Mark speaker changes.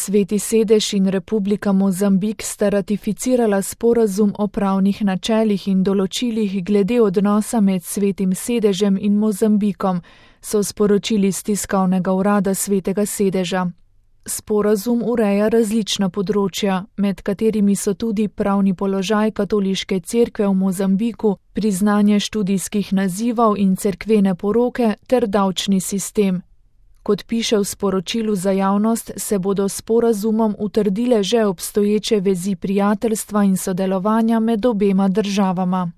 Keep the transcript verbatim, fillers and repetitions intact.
Speaker 1: Sveti sedež in Republika Mozambik sta ratificirala sporazum o pravnih načelih in določilih glede odnosa med Svetim sedežem in Mozambikom, so sporočili s tiskovnega urada Svetega sedeža. Sporazum ureja različna področja, med katerimi so tudi pravni položaj katoliške cerkve v Mozambiku, priznanje študijskih nazivov in cerkvene poroke ter davčni sistem. Kot piše v sporočilu za javnost, se bodo s sporazumom utrdile že obstoječe vezi prijateljstva in sodelovanja med obema državama.